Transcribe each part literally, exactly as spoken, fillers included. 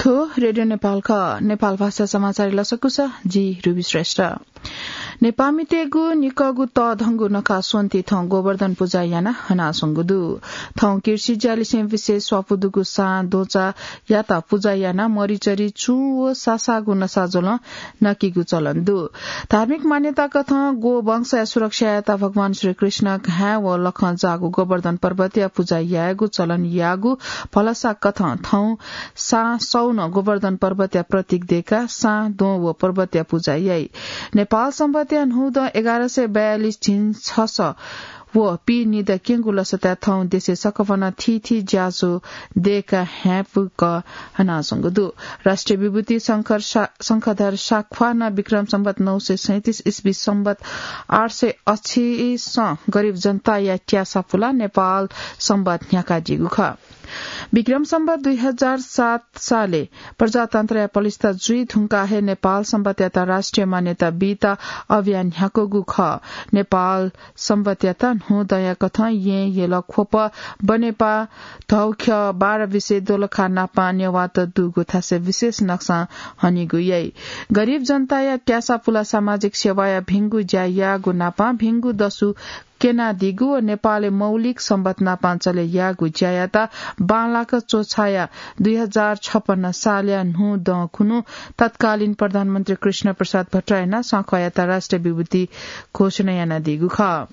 रेडियो नेपाल ख, नेपाल भाषा समाचार लसकुस, जि रुबी श्रेष्ठ। नेपामितेगु निकगु तःधंगु नखा स्वन्ति थौं गोवर्धन पुजा याना हनासंगु दु। थौं कृषि ज्यालिसें विशेष स्वापु दुगु सां दोचा याता पुजा याना मरिचरी चुं व सासागु नसा ज्वलं नकिगु चलन दु। धार्मिक मान्यता कथं गो वंशया सुरक्षा याता भगवान श्री कृष्ण घाँय् व लखं जाःगु गोवर्धन पर्वतया पुजा यायेगु चलन याःगु भलसा कथं थौं सां सौन गोवर्धन पर्वतया प्रतीक देका सां दों व पर्वतया पुजा याइ। नेपाल संवतया न्हूदँ एघार सय बयालिस झिंछस व पीनिदँ क्यंगु लसताय् थौं देशय् सकभनं थीथी ज्याझ्वः देका ह्याँपुक हनाच्वंगु दु। राष्ट्रिय विभूति शंखर शा-, शंखधर साख्वाः नं विक्रम संवत नौ सय सैंतिस इस्वी संवत आठ सय अछिसं गरीब जनताया त्यासा पुला नेपाल संवत न्ह्याकादीगु खः। विक्रम संवत दुई हजार सात सालय् प्रजातन्त्रया पलिस्था जुइ धुंकाः हे नेपाल संवतयात राष्ट्रिय मान्यता बीत अभियान न्ह्याकूगु खः। नेपाल संवतयात न्हूदँया कथं येँ, यल, ख्वप, बनेपा, धौख्यः, बाह्र बिसे, दोलखा नापं नेवाःत दुगु थासय् विशेष नक्सां हनीगु याइ। गरीब जनताया त्यासा पुला सामाजिक सेवाया भिंगु ज्या याःगु नापं भिंगु दसु क्यनादीगु व नेपालय् मौलिक संवत नापं चले याःगु ज्यायात बांलाक च्वछाया दुई हजार छपन्न सालया न्हूदँ खुन्हु तत्कालीन प्रधानमन्त्री कृष्ण प्रसाद भट्टराईं नं साख्वाःयात राष्ट्रिय विभूति घोषणा यानादीगु खः।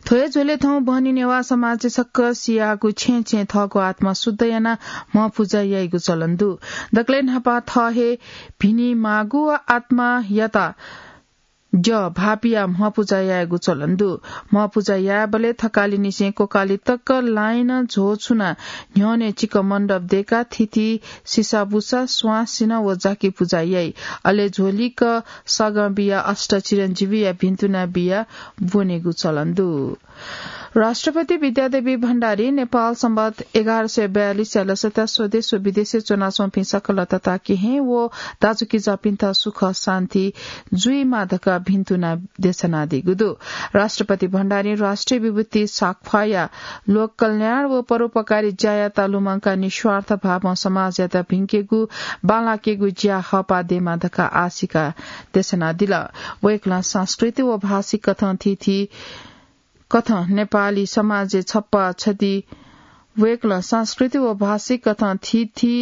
थ्व हे झ्वलय् थौं बहनी नेवाः समाजय् सकसियागु छेँय् छेँय् थःगु आत्मा शुद्ध यानाः म्ह पुजा याइगु चलन दु। दकलय् न्हापां थः हे भिनिमाःगु व आत्मायात द्यः भाःपियाः म्ह पुजा यायेगु चलन दु। म्ह पुजा यायेबलय् थकालिनिसें कोकालि तक लाइनं झ्वः छुनाः न्ह्यःने चिकं मण्डप दय्काः थीथी सिसाबुसा, स्वां सिन्हः व जाकि पुजा याइ। अले झ्वलिक सगं बियाः अष्टचिरञ्जीवीया भिन्तुना बियाः ब्वनेगु चलन दु। राष्ट्रपति विद्यादेवी भण्डारी नेपाल संवत एघार सय बयालिसया लसताय् स्वदेश व विदेशय् च्वनाच्वंपिं सकल तताकेहेँ व दाजुकिजापिन्त सुख शान्ति जुइमा धकाः भिन्तुना देछानादीगु दु। राष्ट्रपति भण्डारीं राष्ट्रिय विभूति साख्वाःया लोक कल्याण व परोपकारी ज्यायात लुमंकाः निस्वार्थ भावं समाजयात भिंकेगु बांलाकेगु ज्या हःपाः दयेमा धकाः आशिका देछानादिल। वय्कलं संस्कृति व भाषिक कथं थीथी कथं नेपाली समाजय् छप्पा छधि वय्कलं संस्कृति व भाषिक कथं थीथी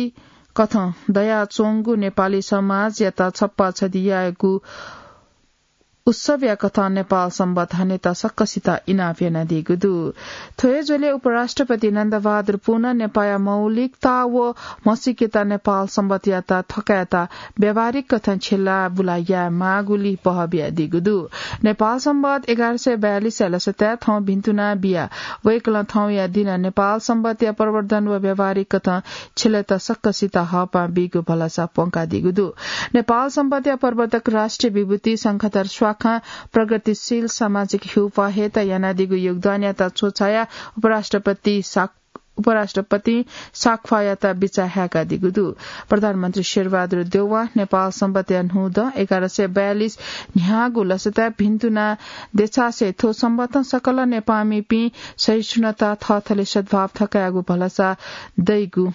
कथं दयाच्वंगु नेपाली समाजयात छप्पा छधि यायेगु उत्सवया कथं नेपाल संवत हनेत सकसित इनाप यानादीगु दु। थ्व हे झ्वलय् उपराष्ट्रपति नन्दबहादुर पुनं नेपाःया मौलिकता व म्हसीकेत नेपाल संवतयात थकायेत व्यावहारिक कथं छ्यला बुला याये माःगुलिइ पहः बियादीगु दु। नेपाल संवत एघार सय बयालिसया लसताय् थौं भिन्तुना बियाः वय्कलं थौंया दिनं नेपाल संवतया प्रवर्धन व व्यावहारिक कथं छ्यलेत सकसित हःपाः बीगु भलसा प्वंकादीगु दु। नेपाल संवतया प्रवर्तक राष्ट्रिय विभूति शंखधर स्वाखां प्रगतिशील सामाजिक ह्यूपाः हयेत यानादीगु योगदानयात च्वछायाः उपराष्ट्रपति साक-, उपराष्ट्रपतिं साख्वाःयात बिचाः हाय्कादीगु दु। प्रधानमन्त्री शेरबहादुर देउवां नेपाल संवतया न्हूदँ एघार सय बयालिस न्ह्याःगु लसताय् भिन्तुना देछासें थ्व संवतं सकल नेपाःमिपिं सहिष्णुता, थःथले सद्भाव थकायेगु भलसा दइगु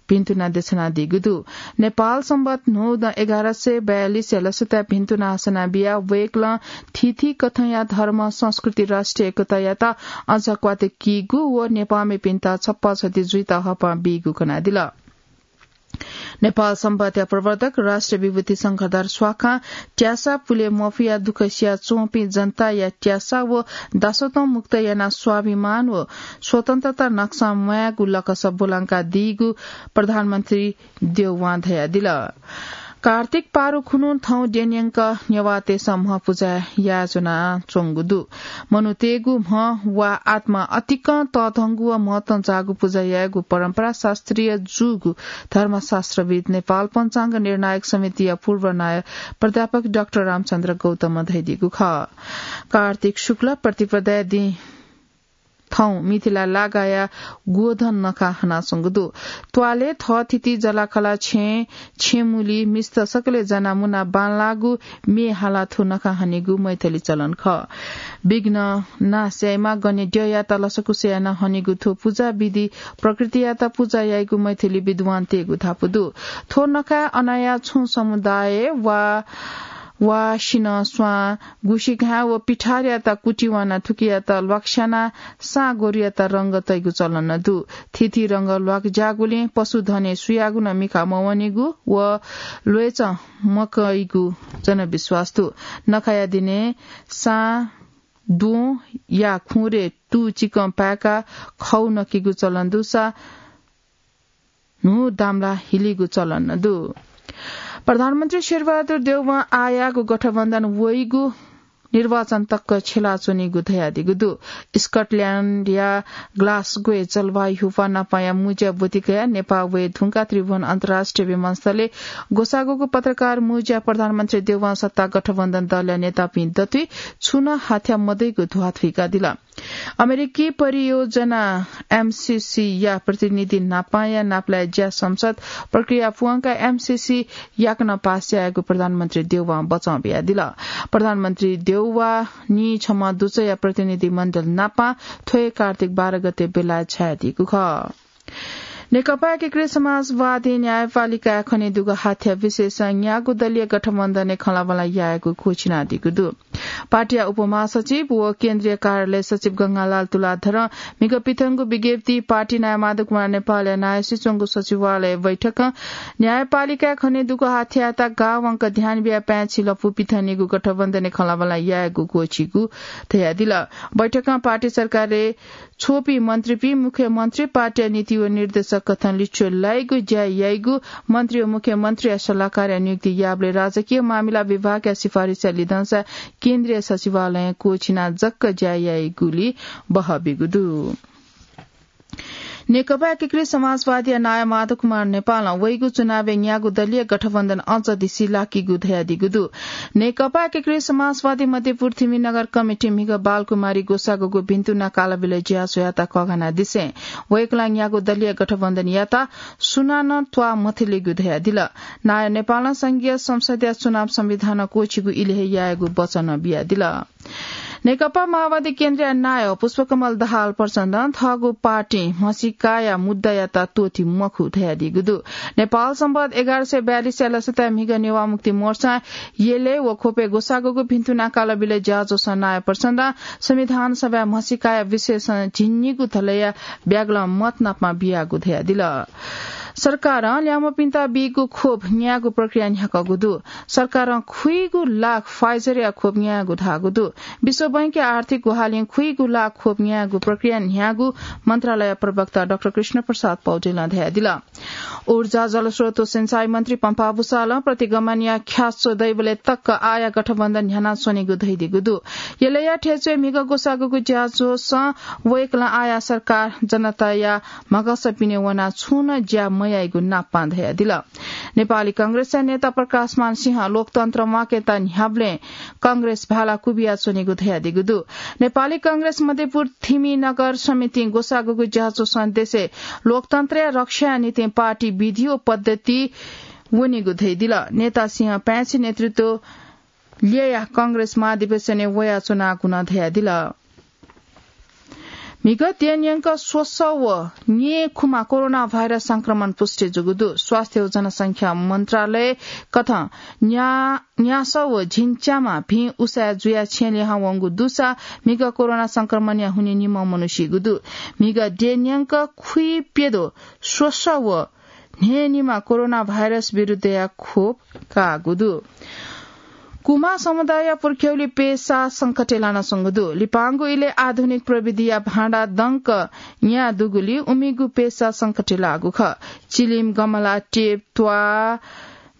भिन्तुना देछानादीगु दु। नेपाल संवत न्हूदँ एघार सय बयालिसया लसताय् भिन्तुना हसना बियाः वय्कलं थीथी कथंया धर्म, संस्कृति, राष्ट्रिय एकतायात अझ क्वातय् कीगु व नेपाःमिपिन्त छप्पा छधि जुइत हःपाः बीगु कनादिल। नेपाल संवतया प्रवर्तक राष्ट्रिय विभूति शंखधर स्वाखां त्यासा पुले मफयाः दुःख सियाच्वंपिं जनताया त्यासा व दासत्वं मुक्त यानाः स्वाभिमान व स्वतन्त्रता नक्सां म्वायेगु लकस ब्वलंकादीगु प्रधानमन्त्री देउवां धयादिल। कार्तिक पारु खुन्हु थौं द्यंन्यंक नेवाःतय्सं म्ह पुजा यायेज्वनाच्वंगु दु। मनूतय्गु म्ह वा आत्मा अतिकं तःधंगु व महत्वं जाःगु पुजा यायेगु परम्परा शास्त्रीय जूगु धर्मशास्त्रविद्, नेपाल पञ्चाङ्ग निर्णायक समितिया पूर्व नायब प्राध्यापक डाक्टर रामचन्द्र गौतमं धयादीगु खः। कार्तिक शुक्ल प्रतिपदाया दिं थौं मिथिला लागाया गोधन नखा हनाच्वंगु दु। त्वालय् थःथिति जलाखला छेँ, छेँमुली मिस्त सकलें जानाः मुनाः बांलाःगु म्ये हालाः थ्व नखा हनेगु मैथिली चलन खः। विघ्न नाश याइमा गने द्यःयात लसकुस यानाः हनेगु थ्व पुजा विधि प्रकृतियात पुजा याइगु मैथिली विद्वानतय्गु धापू दु। थ्व नखाय् अनाया छुं समुदाय वा वा सिन्हः स्वां, गुसिघाँय् व पिठारयात कुतिवाना थुकियात ल्वाकस्यानाः सां गोरुयात रंग तइगु चलन दु। थीथी रंग ल्वाकज्याःगुलिं पशुधनय् सुयागु नं मिखा मवनेगु व ल्वय्चं मकइगु जनविश्वास दु। नखाया दिनय् सां द्वँ या खुँरे तू चिकं पाय्काः खौ नकिगु चलन दुसा न्हू दामला हिलीगु चलन दु। प्रधानमन्त्री शेरबहादुर देउवां आःयाःगु गठबन्धन वइगु निर्वाचन तक छ्यलाच्वनीगु धयादीगु दु। स्कटल्याण्डया ग्लासगोय् जलवायु ह्यूपाः नापांया मुँज्या ब्वति कयाः नेपाः वये धुंकाः त्रिभुवन अन्तर्राष्ट्रिय विमानस्थलय् ग्वसाःगुगु पत्रकार मुँज्याय् प्रधानमन्त्री देउवां सत्ता गठबन्धन दलया नेतापिं दथुइ छुं नं हाथ्या मदइगु ध्वाथुइकादिल। अमेरिकी परियोजना एमसीसी या प्रतिनिधि नापांया नापलाये ज्या संसद प्रक्रिया पुवंकाः एमसीसी याकनं पास यायेगु प्रधानमन्त्री देउवां बचं बियादिल। प्रधानमन्त्री देउवा नीछम्ह दुचःया प्रतिनिधि मण्डल नापां थ्व हे कार्तिक बाह्र गते बेलायत छायादीगु खः। नेकपा एकीकृत समाजवादी न्यायपालिकाय् खनेदुगु हाथ्या विषयसं न्यागू दलीय गठबन्धनय् खँल्हाबल्हा यायेगु घोषित यानादीगु दु। पार्टीया उपमहासचिव व केन्द्रीय कार्यालय सचिव गंगालाल तुलाधरं म्हिगः पिथंगु विज्ञप्तिइ पार्टी नायः माधव कुमार नेपालया नायःसि च्वंगु सचिवालय बैठकं न्यायपालिकाय् खनेदुगु हाथ्यायात गाः वंक ध्यान बियाः पाय्छि लँपु पिथंनिगू गठबन्धनय् खँल्हाबल्हा यायेगु घोषित यानादीगु धयादिल। बैठकं पार्टी सरकारय् छ्वःपिं मन्त्रीपिं मुख्यमन्त्री पार्टीया नीति व निर्देशक कथं लिच्वः लाइगु ज्या याइगु, मन्त्री व मुख्यमन्त्रीया सल्लाहकारया नियुक्ति याःबलय् राजकीय मामिला विभागया सिफारिसया लिधंसा केन्द्रीय सचिवालयं क्वःछिनाः जक ज्या याइगुली बहःबीगु दु। नेकपा एकीकृत समाजवादीया नायः माधव कुमार नेपालं वइगु चुनावय् न्यागू दलीय गठबन्धन अझ दिसि लाकीगु धयादीगु दु। नेकपा एकीकृत समाजवादी मध्यपुर थिमि नगर कमिटी म्हिगः बालकुमारी ग्वसाःगुगु भिन्तुना कालबिलय् ज्याझ्वःयात कःघानादिसें वय्कलं न्यागू दलीय गठबन्धनयात सुनानं त्वाः मथलेगु धयादिल। नायः नेपालं संघीय संसदया चुनाव संविधानं क्वःछिगु इलय् हे यायेगु वचन बियादिल। नेकपा माओवादी केन्द्रया नायः पुष्पकमल दाहाल प्रचण्डं थःगु पार्टीं म्हसीकाया मुद्दायात त्वःती मखु धयादीगु दु। नेपाल संवत् एघार सय बयालिसया लसताय् म्हिगः नेवाः मुक्ति मोर्चां यलय् व ख्वपय् ग्वसाःगुगु भिन्तुना कालबिलय् ज्याझ्वःसं नायः प्रचण्डं संविधान सभाय् म्हसीकाया विषयसं झिंनिगू धलया ब्यागलं मत नापं बियागु धयादिल। सरकारं ल्याय्म्हपिन्त बीगु खोप न्यायेगु प्रक्रिया न्ह्याकःगु दु। सरकारं खुइगू लाख Pfizer-या खोप न्यायेगु धाःगु दु। विश्व बैंकया आर्थिक ग्वाहालिं खुइगू लाख खोप न्यायेगु प्रक्रिया न्ह्याःगु मन्त्रालय प्रवक्ता डाक्टर कृष्ण प्रसाद पौडेलं धयादिल। ऊर्जा, जलस्रोत व सिंचाई मन्त्री पम्फा भूषालं प्रतिगमनया ख्याच्वः दइबलय् तक आःया गठबन्धन न्ह्यानाच्वनीगु धयादीगु दु। यलया थ्यंच्वय् म्हिगः ग्वसाःगुगु ज्याझ्वःसं वय्कलं आःया सरकार जनताया म्हगस पिने वनाः छुं नं ज्या मयाइगु नापं धयादिल। नेपाली कांग्रेसया नेता प्रकाशमान सिंहं लोकतन्त्र म्वाकेत न्ह्याबलें कांग्रेस भाला कुबियाच्वनीगु धयादीगु दु। नेपाली कांग्रेस मध्यपुर थिमि नगर समितिं ग्वसाःगुगु ज्याझ्वःसं देशय् लोकतन्त्रया रक्षाया निंतिं पार्टी विधि व पद्धति वनीगु धयादिल। नेता सिंहं पाय्छि नेतृत्व ल्ययाः कांग्रेस महाधिवेशनय् वयाच्वनागु नं धयादिल। म्हिगः देय् न्यंक स्वसः व न्येखुम्ह कोरोना भाइरस संक्रमण पुष्टि जूगु दु। स्वास्थ्य व जनसंख्या मन्त्रालय कथं न्या-, न्यासः व झिंच्याम्ह भिं उसाँय् जुयाः छेँ लिहां वंगु दुसा म्हिगः कोरोना संक्रमणया हुनिं निम्ह मनू सीगु दु। म्हिगः देय् न्यंक खुइप्यद्वः स्वसः व न्हय्निम्ह कोरोना भाइरस विरुद्धया खोप काःगु दु। कुमां समुदायया पुर्ख्यौली पेसा संकटय् लानाच्वंगु दु। लिपांगु इलय् आधुनिक प्रविधिया भाँडा दंक न्याः दुगुलिं उमिगु पेसा संकटय् लाःगु खः। चिलिम, गमला, टेप, त्वाः,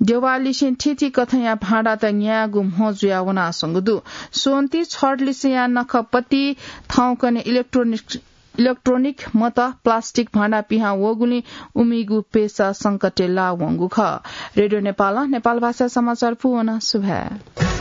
देवाललिसें थीथी कथंया भाँडात न्यायेगु म्हो जुया वनाच्वंगु दु। स्वन्ति छठलिसेया नखःपति थौंकन्हय् इलेक्ट्रोनिक, इलेक्ट्रोनिक मत, प्लास्टिक भाँडा पिहां वःगुलिं उमिगु पेसा संकटय् लाः वंगु खः। रेडियो नेपालं नेपाल भाषा समाचार पूवन सुभाय्।